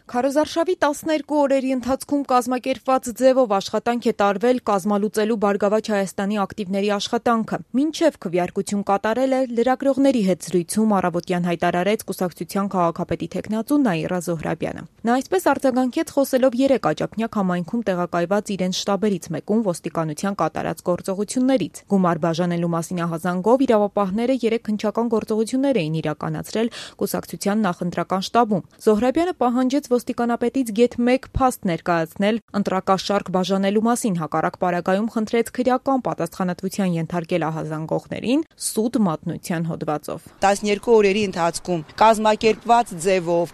Քարոզարշավի 12 օրերի ընթացքում կազմակերպված ձևով աշխատանք է տարվել կազմալուծելու Բարգավաճ Հայաստանի ակտիվների աշխատանքը։ Մինչև քվեարկություն կատարել է լրագրողների հետ զրույցում առավոտյան հայտարարեց կուսակցության քաղաքապետի թեկնածու Նաիրա Զոհրաբյանը։ Նա այսպես արձագանքեց խոսելով 3 աջափնյակ համայնքում տեղակայված իրենց շտաբերից մեկում ոստիկանության կատարած գործողություններից։ Գումար բաժանելու մասին ահազանգով իրավապահները 3 հնչական գործողություններ էին իրականացրել կուսակցության նախընտրական շտաբում։ Զոհրաբյանը պահանջեց ոստիկանապետից գեթ 1 փաստ ներկայացնել ընտրակաշարք բաժանելու մասին, հակառակ պարագայում խնդրեց քրեական պատասխանատվության ենթարկել ահազանգողներին սուտ մատնության հոդվածով։ 12 օրերի ընթացքում կազմակերպված ձևով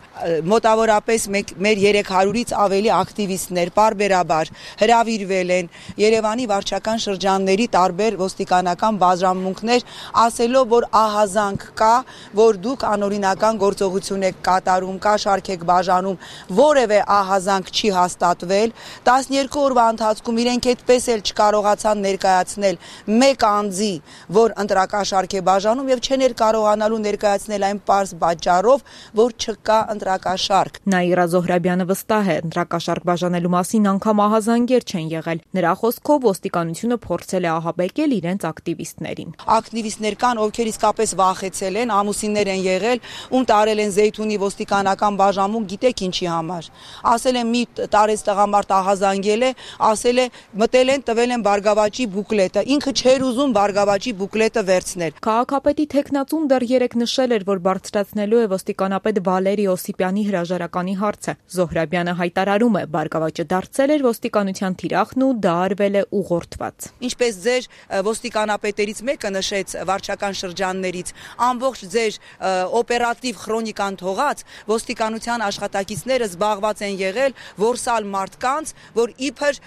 մոտավորապես մեր 300-ից ավելի ակտիվիստներ պարբերաբար հրավիրվել են Երևանի վարչական շրջանների տարբեր ոստիկանական բաժանմունքներ, ասելով, որ ահազանգ կա, որ դուք անօրինական գործողություն եք կատարում, կաշառք եք բաժանում, որևէ ահազանգ չի հաստատվել։ 12 օրվա ընթացքում իրենք այդպես էլ չկարողացան ներկայացնել մեկ անձի, որ ընտրակաշառք է բաժանում եւ չեն կարողանալու ներկայացնել այն պարզ պատճառով, որ չկա ընտրակաշառք։ Նաիրա Զոհրաբյանը վստահ է, ընտրակաշառք բաժանելու մասին անգամ ահազանգեր չեն եղել։ Նրա խոսքով ոստիկանությունը փորձել է ահաբեկել իրենց ակտիվիստներին։ Ակտիվիստներ կան, ովքեր իսկապես վախեցել են, ամուսիններ են եղել, ում տարել են Զեյթունի ոստիկանական բաժանմունք, գիտեք ինչի համար։ Ասել են մի տարեց տղամարդ ահազանգել է, ասել է մտել են, տվել են Բարգավաճի բուկլետը, ինքը չէր ուզում Բարգավաճի բուկլետը վերցնել։ Քաղաքապետի թեկնածուն դեռ 3 նշել էր, որ բարձրացնելու է ոստիկանապետ Վալերի Օսիպյանի հրաժարականի հարցը։ Զոհրաբյանը հայտարարում է, Բարգավաճը դարձել էր ոստիկանության թիրախն ու դա արվել է ուղղորդված։ Ինչպես ձեր ոստիկանապետերից մեկը նշեց վարչական շրջաններից, ամբողջ ձեր օպերատիվ քրոնիկան թողած ոստիկանության աշխատակիցները զբաղված են եղել որսալ մարդկանց, որ իբր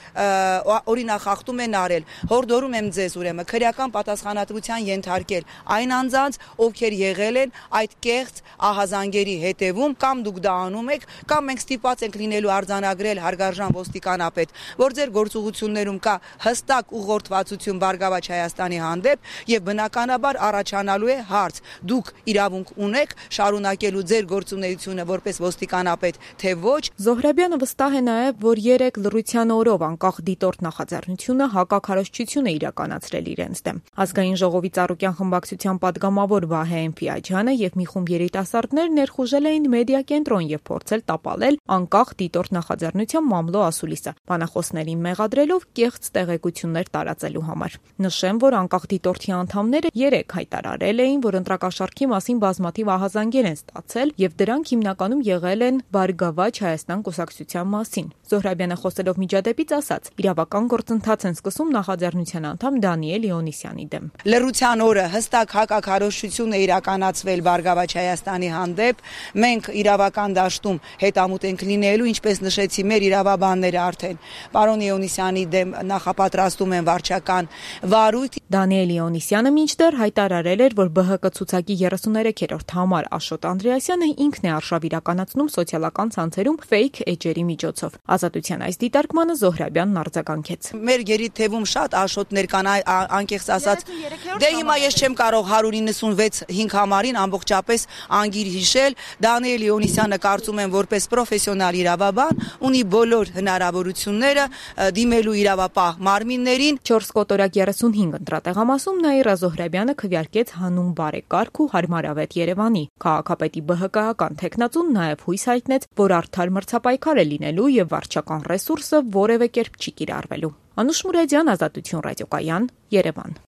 օրինախախտում են արել։ Հորդորում եմ ձեզ ուրեմն քրեական պատասխանատվության ենթարկել այն անձանց, ովքեր եղել են այդ կեղծ ահազանգերի հետևում, կամ դուք դա անում եք, կամ մենք ստիպված ենք լինելու արձանագրել հարգարժան ոստիկանապետ, որ ձեր գործողություններում կա հստակ ուղղորդվածություն Բարգավաճ Հայաստանի հանդեպ եւ բնականաբար առաջանալու է հարց. դուք իրավունք ունեք շարունակելու ձեր գործունեությունը որպես ոստիկանապետ, թե ոչ։ Զոհրաբյանը վստահ է նաև, որ 3 լռության օրով անկախ դիտորդ նախաձեռնությունը հակաքարոզչություն է իրականացրել իրենց դեմ։ Ազգային ժողովի Ծառուկյան խմբակցության падգամավոր Վահե Էնֆիաջյանը եւ մի խումբ երիտասարդներ ներխուժել էին մեդիա կենտրոն եւ փորձել տապալել անկախ դիտորդ նախաձեռնության մամլո ասուլիսը, բանախոսներին մեղադրելով կեղծ տեղեկություններ տարածելու համար։ Նշեմ, որ անկախ դիտորդի անդամները 3 հայտարարել էին, որ ընտրակաշառքի մասին բազմաթիվ ահազանգեր են ստացել եւ դրանք հիմնականում եղել են Բարգավաճ Հայաստան կուսակցության մասին։ Զոհրաբյանը խոսելով միջադեպից ասաց. իրավական գործընթաց են սկսում նախաձեռնության անդամ Դանիել Իոնիսյանի դեմ։ Լռության օրը հստակ հակաքարոզչություն է իրականացվել Բարգավաճ Հայաստանի հանդեպ։ Մենք իրավական դաշտում հետամուտ ենք լինելու, ինչպես նշեցի, մեր իրավաբանները արդեն պարոն Իոնիսյանի դեմ նախապատրաստում են վարչական վարույթ։ Դանիել Իոնիսյանը մինչդեռ հայտարարել էր, որ ԲՀԿ ցուցակի 33-րդ համար Աշոտ Անդրեասյանը ինքն է արշավ իրականացնում սոցիալական ցանցերում ֆեյք էջերի միջոցով։ Ազատության այս դիտարկմանը Զոհրաբյանն արձագանքեց։ Մեր գերիթևում շատ աշոտներ կան, անկեղծ ասած։ Դե հիմա ես չեմ կարող 196-5 համարին ամբողջապես անգիր հիշել։ Դանիել Իոնիսյանը կարծում եմ որպես պրոֆեսիոնալ իրավաբան ունի բոլոր հնարավորությունները դիմելու իրավապահ մարմիններին։ 4 կոտորակ 35 ընտրատեղամասում Նաիրա Զոհրաբյանը քվեարկեց հանուն բարեկարգ ու հարմարավետ Երևանի։ Քաղաքապետի ԲՀԿ-ական թեկնածուն նաև հույս հայտնեց, որ արդար մրցապայքար է լինելու եւ վարչական ռեսուրսը որևէ կերպ չի կիրառվելու։ Անուշ Մուրադյան, Ազատություն ռադիոկայան, Երևան։